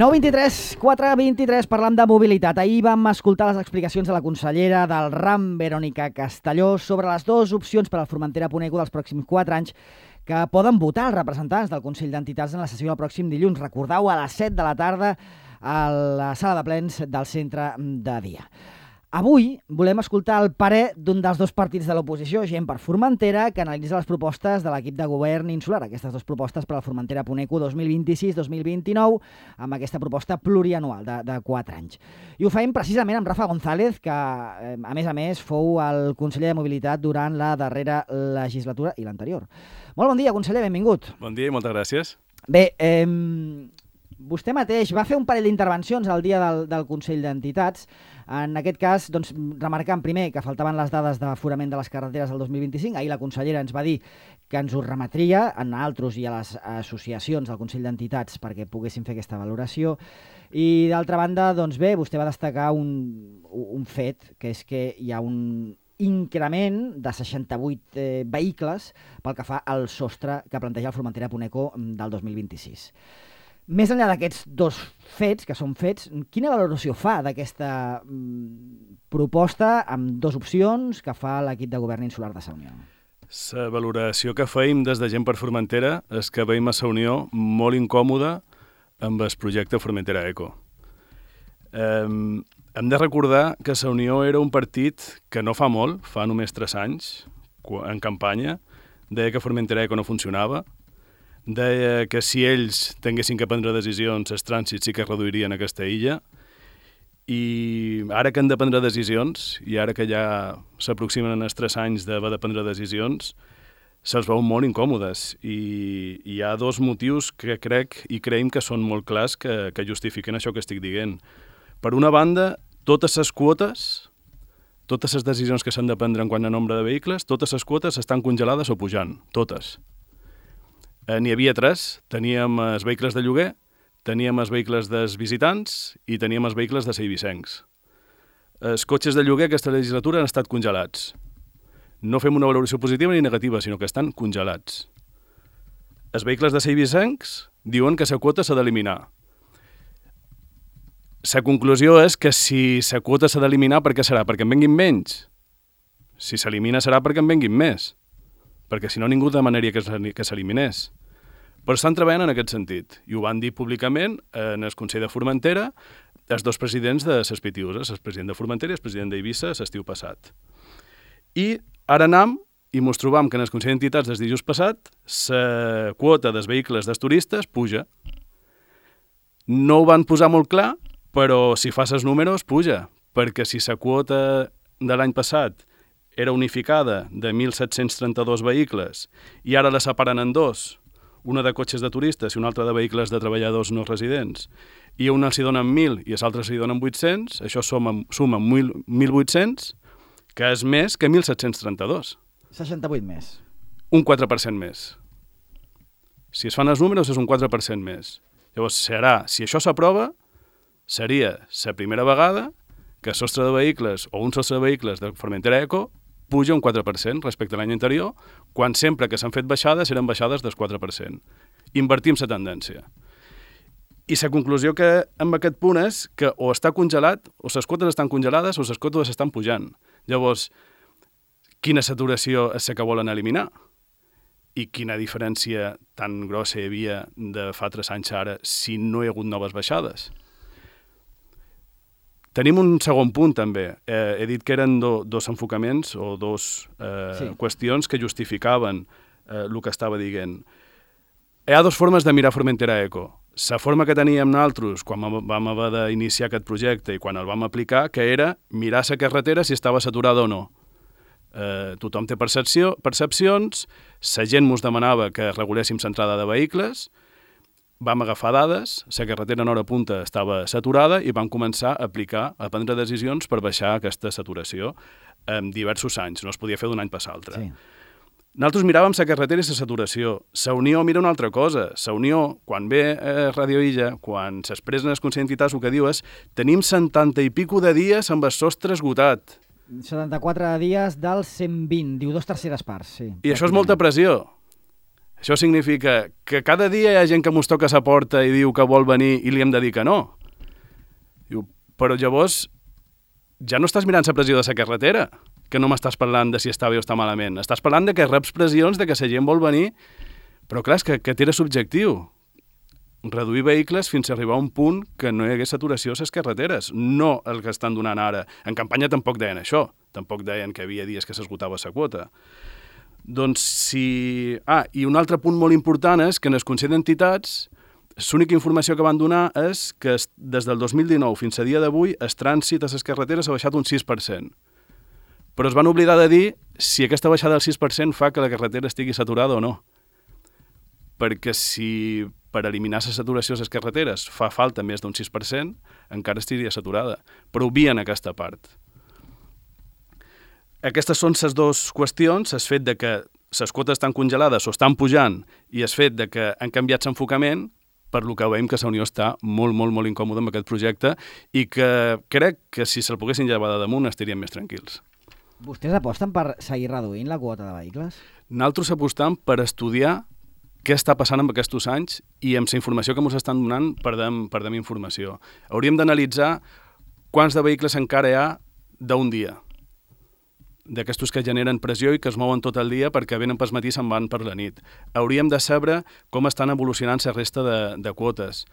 9:23, 4:23, parlant de mobilitat. Ahir vam escoltar les explicacions de la consellera del RAM, Verònica Castelló, sobre les dues opcions per al Formentera-Puneco dels pròxims 4 anys que poden votar els representants del Consell d'Entitats en la sessió del pròxim dilluns. Recordeu, a les 7 de la tarda a la sala de plens del centre de dia. Avui volem escoltar el parer d'un dels dos partits de l'oposició, Gent per Formentera, que analitza les propostes de l'equip de govern insular, aquestes dues propostes per al Formentera-Puneco 2026-2029, amb aquesta proposta plurianual de 4 anys. I ho fem precisament amb Rafa González, que a més fou el conseller de Mobilitat durant la darrera legislatura i l'anterior. Molt bon dia, conseller, benvingut. Bon dia i moltes gràcies. Bé, vostè mateix va fer un parell d'intervencions al dia del Consell d'Entitats. En aquest cas, doncs, remarcant primer que faltaven les dades d'aforament de les carreteres del 2025. Ahir la consellera ens va dir que ens ho remetria a nosaltres i a les associacions del Consell d'Entitats perquè poguessin fer aquesta valoració. I d'altra banda, doncs bé, vostè va destacar un fet, que és que hi ha un increment de 68 vehicles pel que fa al sostre que planteja el Formentera-Puneco del 2026. Més enllà d'aquests dos fets, que són fets, quina valoració fa d'aquesta proposta amb dues opcions que fa l'equip de govern insular de Sa Unió? La valoració que feim des de Gent per Formentera és que veiem a Sa Unió molt incòmoda amb el projecte Formentera Eco. Hem de recordar que Sa Unió era un partit que no fa molt, fa només 3 anys, en campanya, deia que Formentera Eco no funcionava, deia que si ells tinguessin que prendre decisions, els trànsits sí que es reduirien a aquesta illa, i ara que han de prendre decisions, i ara que ja s'aproximen els 3 anys d'haver de prendre decisions, se'ls veuen molt incòmodes, i hi ha 2 motius que crec i creiem que són molt clars que justifiquen això que estic dient. Per una banda, totes les quotes, totes les decisions que s'han de prendre en quant a nombre de vehicles, totes les quotes estan congelades o pujant, totes. N'hi havia 3, teníem els vehicles de lloguer, teníem els vehicles dels visitants i teníem els vehicles de seivicencs. Els cotxes de lloguer aquesta legislatura han estat congelats. No fem una valoració positiva ni negativa, sinó que estan congelats. Els vehicles de seivicencs diuen que la quota s'ha d'eliminar. La conclusió és que si la quota s'ha d'eliminar, per què serà? Perquè en venguin menys. Si s'elimina serà perquè en venguin més. Perquè si no ningú demanaria que s'eliminés. Però estan treballant en aquest sentit, i ho van dir públicament en el Consell de Formentera els 2 presidents de les Pitiüses, el president de Formentera i el president d'Eivissa l'estiu passat. I ara anam i mos trobam que en el Consell d'Entitats des dijous passat la quota dels vehicles dels turistes puja. No ho van posar molt clar, però si fas els números puja, perquè si la quota de l'any passat era unificada de 1.732 vehicles i ara la separen en 2, una de cotxes de turistes i una altra de vehicles de treballadors no residents, i a una s'hi donen 1.000 i a l'altra s'hi donen 800, això suma 1.800, que és més que 1.732. 68 més. Un 4% més. Si es fan els números, és un 4% més. Llavors, si això s'aprova, seria la primera vegada que el sostre de vehicles o un sostre de vehicles de Formentera Eco puja un 4% respecte a l'any anterior, quan sempre que s'han fet baixades eren baixades del 4%. Invertim la tendència. I la conclusió que amb aquest punt és que o està congelat, o les quotes estan congelades o les quotes estan pujant. Llavors, quina saturació és la que volen eliminar? I quina diferència tan grossa hi havia de fa 3 anys ara si no hi ha hagut noves baixades? Tenim un segon punt, també. He dit que eren 2 enfocaments o 2 qüestions que justificaven el que estava dient. Hi ha 2 formes de mirar Formentera Eco. La forma que teníem nosaltres quan vam haver d'iniciar aquest projecte i quan el vam aplicar, que era mirar la carretera si estava saturada o no. Tothom té percepcions, la gent ens demanava que reguléssim l'entrada de vehicles, vam agafar dades, la carretera en hora punta estava saturada i vam començar a prendre decisions per baixar aquesta saturació en diversos anys, no es podia fer d'un any per l'altre. Sí. Nosaltres miràvem la carretera i la saturació. Sa Unió mira una altra cosa. Sa Unió, quan ve a Radio Illa, quan s'expressa en el Consell d'Entitats, el que diu és tenim 70 i pico de dies amb el sostre esgotat. 74 dies dels 120, diu 2/3 parts, sí. I això és molta pressió. Això significa que cada dia hi ha gent que mos toca a la porta i diu que vol venir i li hem de dir que no. Diu, però llavors ja no estàs mirant la pressió de la carretera, que no m'estàs parlant de si està bé o està malament. Estàs parlant de que reps pressions de que la gent vol venir, però clar, és que era subjectiu. Reduir vehicles fins a arribar a un punt que no hi hagués saturació a les carreteres, no el que estan donant ara. En campanya tampoc deien això, tampoc deien que hi havia dies que s'esgotava la quota. Doncs si... i un altre punt molt important és que en el Consell d'Entitats l'única informació que van donar és que des del 2019 fins a dia d'avui el trànsit a les carreteres ha baixat un 6%. Però es van oblidar de dir si aquesta baixada del 6% fa que la carretera estigui saturada o no. Perquè si per eliminar la saturació a les carreteres fa falta més d'un 6%, encara estaria saturada. Però obvien aquesta part. Aquestes són les dues qüestions, el fet de que les quotes estan congelades o estan pujant i el fet de que han canviat l'enfocament, per lo que veiem que la Unió està molt, molt, molt incòmoda amb aquest projecte i que crec que si se'l poguessin llevar de damunt estaríem més tranquils. Vostès aposten per seguir reduint la quota de vehicles? Nosaltres apostam per estudiar què està passant amb aquests anys i amb la informació que ens estan donant perdem informació. Hauríem d'analitzar quants de vehicles encara hi ha d'un dia, d'aquestos que generen pressió i que es mouen tot el dia perquè venen pel matí i se'n van per la nit. Hauríem de saber com estan evolucionant la resta de quotes.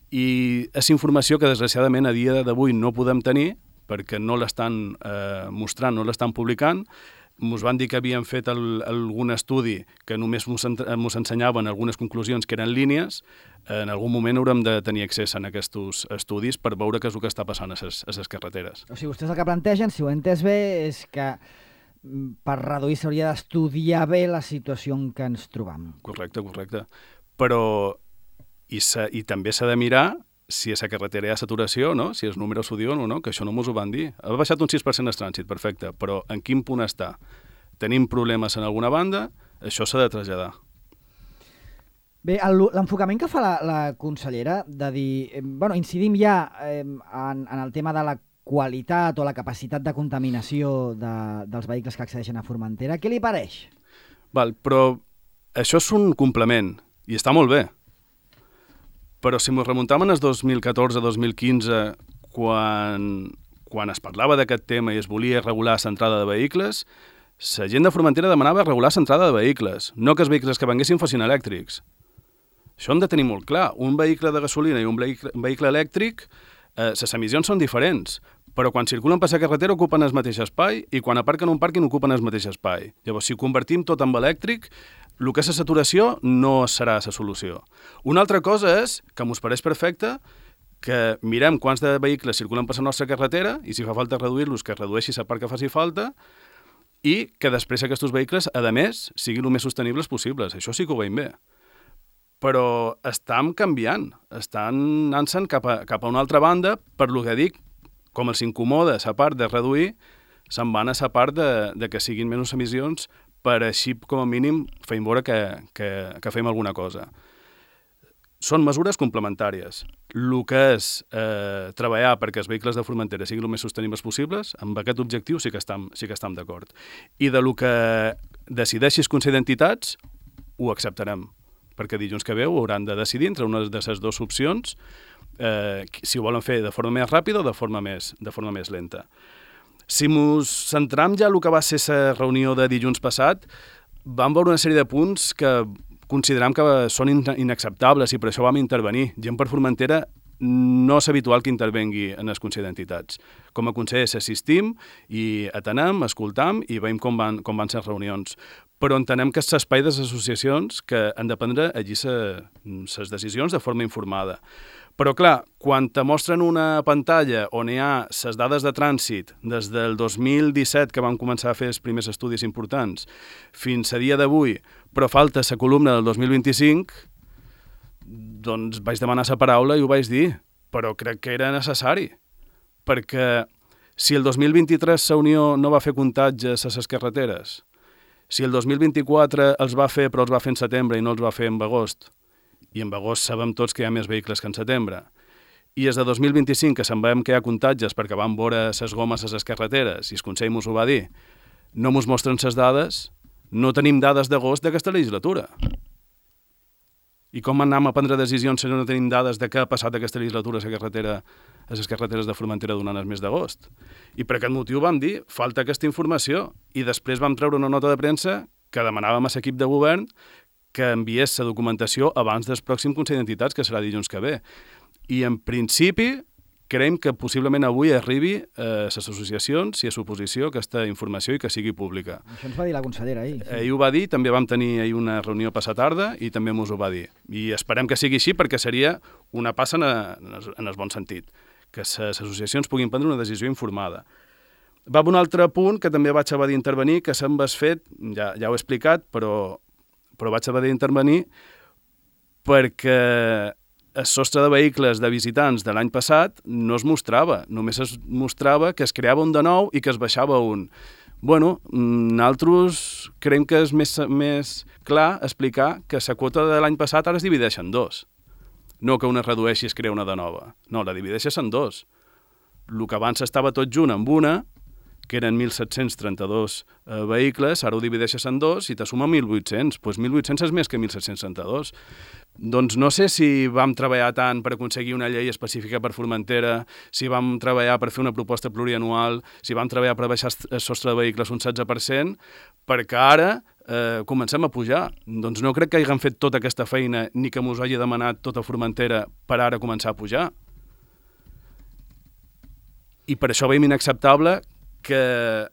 I és informació que desgraciadament a dia d'avui no podem tenir perquè no l'estan mostrant, no l'estan publicant. Ens van dir que havien fet algun estudi que només ens ensenyaven algunes conclusions que eren línies. En algun moment haurem de tenir accés a aquests estudis per veure què és el que està passant a les carreteres. O sigui, vostès el que plantegen, si ho he entès bé, és que per reduir s'hauria d'estudiar bé la situació en què ens trobam. Correcte. Però i també s'ha de mirar si a la carretera hi ha saturació, no? Si els números ho diuen o no, que això no ens ho van dir. Ha baixat un 6% el trànsit, perfecte, però en quin punt està? Tenim problemes en alguna banda? Això s'ha de traslladar. Bé, l'enfocament que fa la consellera de dir... incidim ja en el tema de la qualitat o la capacitat de contaminació dels vehicles que accedeixen a Formentera. Què li pareix? Però això és un complement i està molt bé. Però si ens remuntam en el 2014-2015, quan es parlava d'aquest tema i es volia regular l'entrada de vehicles, la gent de Formentera demanava regular l'entrada de vehicles, no que els vehicles que venguessin fossin elèctrics. Això hem de tenir molt clar. Un vehicle de gasolina i un vehicle elèctric, les emissions són diferents, però quan circulen per la carretera ocupen el mateix espai i quan aparquen un pàrquing ocupen el mateix espai. Llavors, si ho convertim tot en elèctric, el que és la saturació no serà la solució. Una altra cosa és que ens pareix perfecte que mirem quants de vehicles circulen per la nostra carretera i si fa falta reduir-los, que redueixi la part que faci falta i que després aquests vehicles, a més, siguin el més sostenibles possibles. Això sí que ho veiem bé. Però estan canviant, estan anant-se'n cap a una altra banda, per lo que dic, com els incomoda la part de reduir, se'n van a la part de que siguin menys emissions per així, com a mínim, feim veure que fem alguna cosa. Són mesures complementàries. El que és treballar perquè els vehicles de Formentera siguin el més sostenibles possibles, amb aquest objectiu sí que estem d'acord. I de lo que decideixi el Consell d'Entitats, ho acceptarem, perquè dilluns que ve ho hauran de decidir entre una de les dues opcions, si ho volen fer de forma més ràpida o de forma més lenta. Si ens centram ja en el que va ser la reunió de dilluns passat, vam veure una sèrie de punts que considerem que són inacceptables i per això vam intervenir. Gent per Formentera no és habitual que intervengui en el Consell d'Entitats. Com a consellers assistim i atenem, escoltam i veiem com van ser reunions. Però entenem que és l'espai de les associacions que han de prendre allí les decisions de forma informada. Però, clar, quan te mostren una pantalla on hi ha les dades de trànsit des del 2017, que vam començar a fer els primers estudis importants, fins a dia d'avui, però falta la columna del 2025, doncs vaig demanar la paraula i ho vaig dir, però crec que era necessari, perquè si el 2023 la Unió no va fer comptatges a les carreteres, si el 2024 els va fer però els va fer en setembre i no els va fer en agost, i en agost sabem tots que hi ha més vehicles que en setembre, i és de 2025 que se'n veiem que hi ha comptatges perquè van veure les gomes a les carreteres i el Consell ens ho va dir, no ens mostren les dades, no tenim dades d'agost d'aquesta legislatura. I com anem a prendre decisions si no tenim dades de què ha passat aquesta legislatura a les carreteres de Formentera durant el mes d'agost? I per aquest motiu vam dir, falta aquesta informació, i després vam treure una nota de premsa que demanàvem a l'equip de govern que enviés la documentació abans del pròxim Consell d'Entitats, que serà dilluns que ve. I en principi creiem que possiblement avui arribi a les associacions i a l'oposició aquesta informació i que sigui pública. Això ens va dir la consellera ahir. Sí. Ahir ho va dir, també vam tenir ahir una reunió passat tarda i també mos ho va dir. I esperem que sigui així perquè seria una passa en el bon sentit, que les associacions puguin prendre una decisió informada. Va un altre punt que també vaig haver d'intervenir, que se'm vas fet, ja ho he explicat, però vaig haver d'intervenir perquè el sostre de vehicles de visitants de l'any passat no es mostrava, només es mostrava que es creava un de nou i que es baixava un. Bueno, nosaltres creiem que és més clar explicar que la quota de l'any passat ara es divideix en dos. No que una es redueixi i es crea una de nova. No, la divideixes en dos. El que abans estava tot junt amb una, que eren 1.732 vehicles, ara ho divideixes en dos i te suma 1.800. Doncs 1.800 és més que 1.732. Doncs no sé si vam treballar tant per aconseguir una llei específica per Formentera, si vam treballar per fer una proposta plurianual, si vam treballar per baixar el sostre de vehicles un 16%, perquè ara comencem a pujar. Doncs no crec que hagin fet tota aquesta feina ni que mos hagi demanat tota Formentera per ara començar a pujar. I per això veiem inacceptable que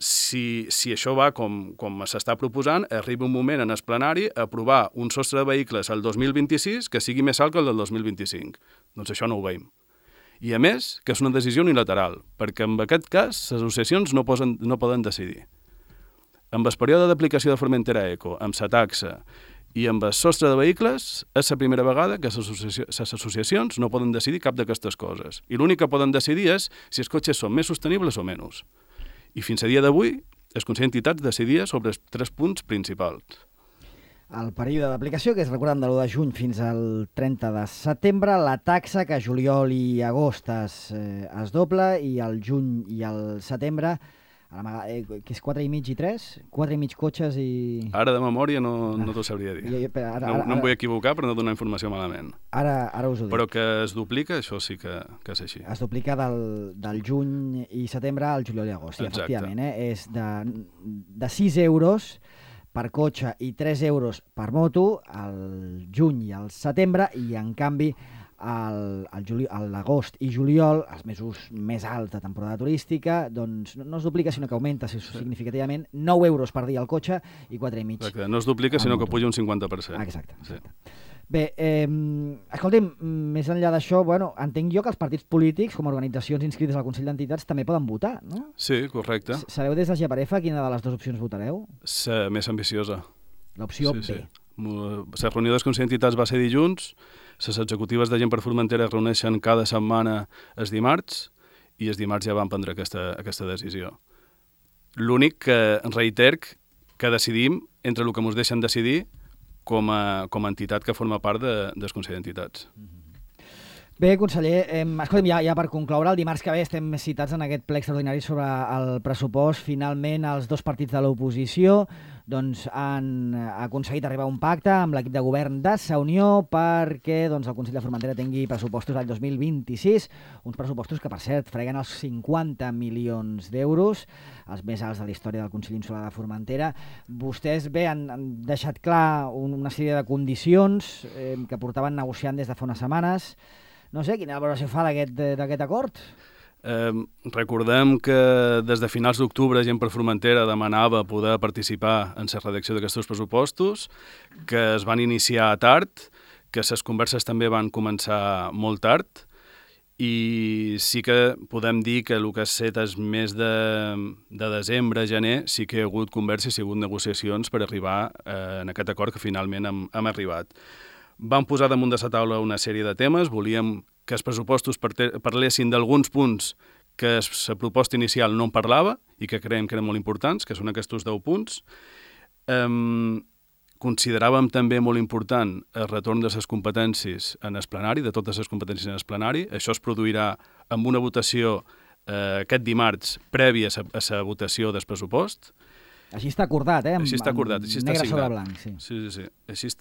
si això va com s'està proposant, arriba un moment en el plenari a aprovar un sostre de vehicles al 2026 que sigui més alt que el del 2025. Doncs això no ho veiem. I a més, que és una decisió unilateral, perquè en aquest cas les associacions no poden decidir. Amb el període d'aplicació de Formentera Eco, amb la taxa i amb el sostre de vehicles, és la primera vegada que les associacions no poden decidir cap d'aquestes coses. I l'únic que poden decidir és si els cotxes són més sostenibles o menys. I fins a dia d'avui, el Consell d'Entitats decidia sobre els 3 punts principals. El període d'aplicació, que és, recordem, de l'1 de juny fins al 30 de setembre, la taxa que juliol i agost es dobla, i el juny i el setembre, que és 4,5 i 3? 4,5 cotxes i... Ara de memòria no t'ho sabria dir. No em vull equivocar per no donar informació malament. Ara us ho dic. Però que es duplica, això sí que és així. Es duplica del juny i setembre al juliol i agost, sí, efectivament. És de 6 euros per cotxe i 3 euros per moto al juny i al setembre, i en canvi l'agost i juliol, els mesos més alts de temporada turística, doncs no es duplica, sinó que augmenta significativament 9 euros per dia al cotxe i 4,5. Exacte, no es duplica, sinó que puja un 50%. Exacte. Sí. Bé, escolta'm, més enllà d'això, entenc jo que els partits polítics, com a organitzacions inscrites al Consell d'Entitats, també poden votar, no? Sí, correcte. Sabeu des de Geparefa quina de les dues opcions votareu? La més ambiciosa. L'opció B. La reunió del Consell d'Entitats va ser dilluns, les executives de Gent per Formentera es reuneixen cada setmana els dimarts, i els dimarts ja van prendre aquesta decisió. L'únic que reiter que decidim entre el que ens deixen decidir com a entitat que forma part del Consell d'Entitats. Bé, conseller, escolta'm, ja per concloure, el dimarts que ve estem citats en aquest ple extraordinari sobre el pressupost. Finalment, els dos partits de l'oposició han aconseguit arribar a un pacte amb l'equip de govern de Sa Unió perquè el Consell de Formentera tingui pressupostos l'any 2026, uns pressupostos que, per cert, freguen els 50 milions d'euros, els més alts de la història del Consell Insular de Formentera. Vostès, bé, han deixat clar una sèrie de condicions que portaven negociant des de fa unes setmanes. No sé, quina valoració fa d'aquest acord? Recordem que des de finals d'octubre Gent per Formentera demanava poder participar en la redacció d'aquests pressupostos, que es van iniciar tard, que les converses també van començar molt tard, i sí que podem dir que el que has set és mes de desembre, gener, sí que hi ha hagut converses i hi ha hagut negociacions per arribar en aquest acord que finalment hem arribat. Vam posar damunt de la taula una sèrie de temes, volíem que els pressupostos parlessin d'alguns punts que la proposta inicial no en parlava i que creiem que eren molt importants, que són aquests 10 punts. Consideràvem també molt important el retorn de les competències en el plenari, de totes les competències en el plenari. Això es produirà amb una votació aquest dimarts prèvia a la votació del pressupost. Així està acordat, Així està acordat, així està negre signat. sobre blanc, sí. Sí.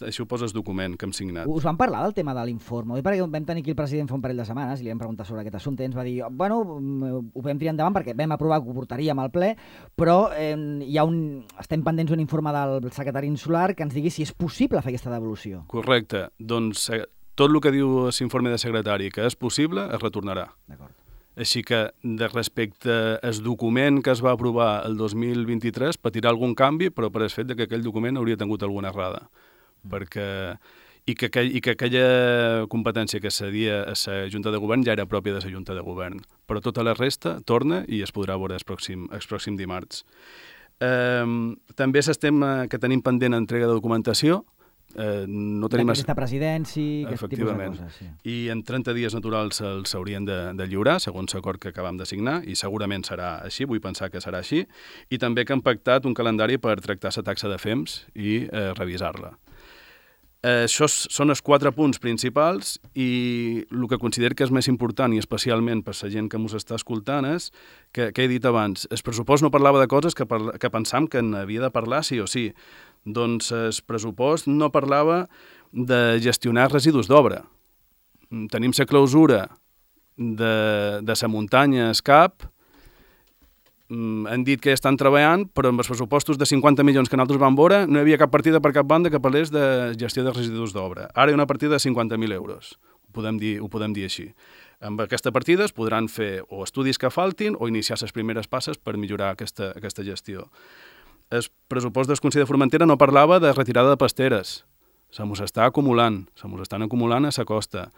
Així ho poses document que hem signat. Us van parlar del tema de l'informe? Perquè vam tenir aquí el president fa un parell de setmanes i li vam preguntar sobre aquest assumpte i ens va dir, bueno, ho vam tirar endavant perquè vam aprovar que ho portaríem al ple, però estem pendents d'un informe del secretari insular que ens digui si és possible fer aquesta devolució. Correcte. Doncs tot el que diu l'informe de secretari que és possible es retornarà. D'acord. Així que, respecte al document que es va aprovar el 2023, patirà algun canvi, però per el fet que aquell document hauria tingut alguna errada. I que aquella competència que cedia a la Junta de Govern ja era pròpia de la Junta de Govern. Però tota la resta torna i es podrà veure el pròxim dimarts. També que tenim pendent entrega de documentació. No tenim aquesta presidència, aquest tipus de coses. Sí. I en 30 dies naturals s'haurien de lliurar, segons l'acord que acabam de signar, i segurament serà així, vull pensar que serà així, i també que han pactat un calendari per tractar la taxa de FEMS i revisar-la. Això són els 4 punts principals i el que considero que és més important i especialment per la gent que ens està escoltant és que he dit abans, el pressupost no parlava de coses que pensam que n'havia de parlar sí o sí. Doncs el pressupost no parlava de gestionar residus d'obra. Tenim la clausura de la muntanya Escap, han dit que estan treballant, però amb els pressupostos de 50 milions que nosaltres vam veure no hi havia cap partida per cap banda que parlés de gestió de residus d'obra. Ara hi ha una partida de 50.000 euros, ho podem dir així. Amb aquesta partida es podran fer o estudis que faltin o iniciar les primeres passes per millorar aquesta gestió. El pressupost del Consell de Formentera no parlava de retirada de pasteres. Se mos estan acumulant a la costa.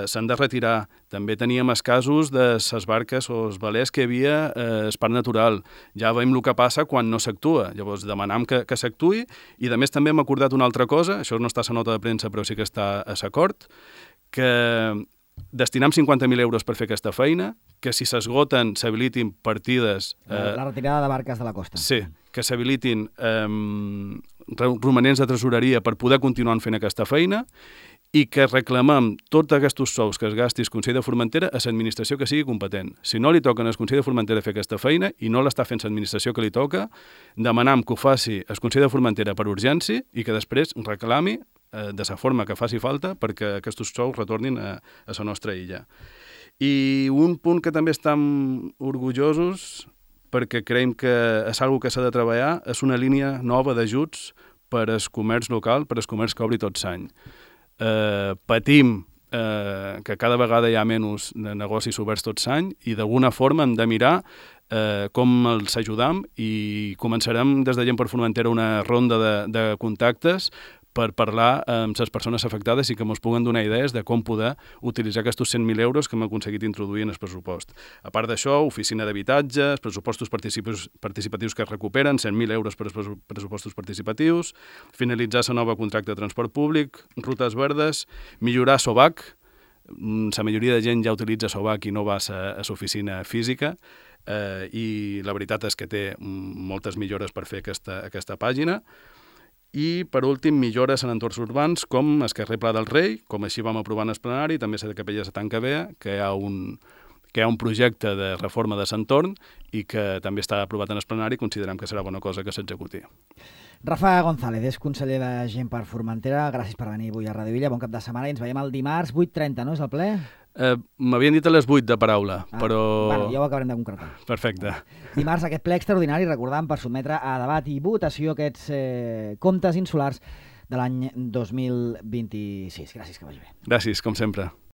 S'han de retirar. També teníem els casos de les barques o els velers que hi havia al parc natural. Ja veiem el que passa quan no s'actua. Llavors demanam que s'actuï i a més també hem acordat una altra cosa, això no està a la nota de premsa però sí que està a l'acord, que destinam 50.000 euros per fer aquesta feina, que si s'esgoten s'habilitin partides... La retirada de barques de la costa. Sí, que s'habilitin romanents de tresoreria per poder continuar fent aquesta feina i que reclamem tots aquests sous que es gasti el Consell de Formentera a l'administració que sigui competent. Si no li toquen al Consell de Formentera fer aquesta feina i no l'està fent l'administració que li toca, demanam que ho faci el Consell de Formentera per urgència i que després reclami de la forma que faci falta perquè aquests sous retornin a la nostra illa. I un punt que també estem orgullosos perquè creiem que és una cosa que s'ha de treballar, és una línia nova d'ajuts per al comerç local, per al comerç que obri tot l'any. Patim que cada vegada hi ha menys negocis oberts tot l'any i d'alguna forma hem de mirar com els ajudam i començarem des de Gent per Formentera una ronda de contactes per parlar amb les persones afectades i que ens puguen donar idees de com poder utilitzar aquests 100.000 euros que hem aconseguit introduir en el pressupost. A part d'això, oficina d'habitatges, pressupostos participatius que es recuperen, 100.000 euros per als pressupostos participatius, finalitzar la nova contracte de transport públic, rutes verdes, millorar SOVAC, la majoria de gent ja utilitza SOVAC i no va a l'oficina física, i la veritat és que té moltes millores per fer aquesta pàgina. I, per últim, millores en entorns urbans com el carrer Pla del Rei, com així vam aprovar en el plenari, també la de Capelles de Tancavea, que hi ha un projecte de reforma de l'entorn i que també està aprovat en el plenari i considerem que serà bona cosa que s'executi. Rafa González és conseller de Gent per Formentera. Gràcies per venir avui a Radio Illa. Bon cap de setmana i ens veiem el dimarts 8:30, no és el ple? M'havien dit a les 8 de paraula, però... Bueno, ja ho acabarem de concretar. Perfecte. Dimarts aquest ple extraordinari, recordant, per sotmetre a debat i votació aquests comptes insulars de l'any 2026. Gràcies, que vagi bé. Gràcies, com sempre.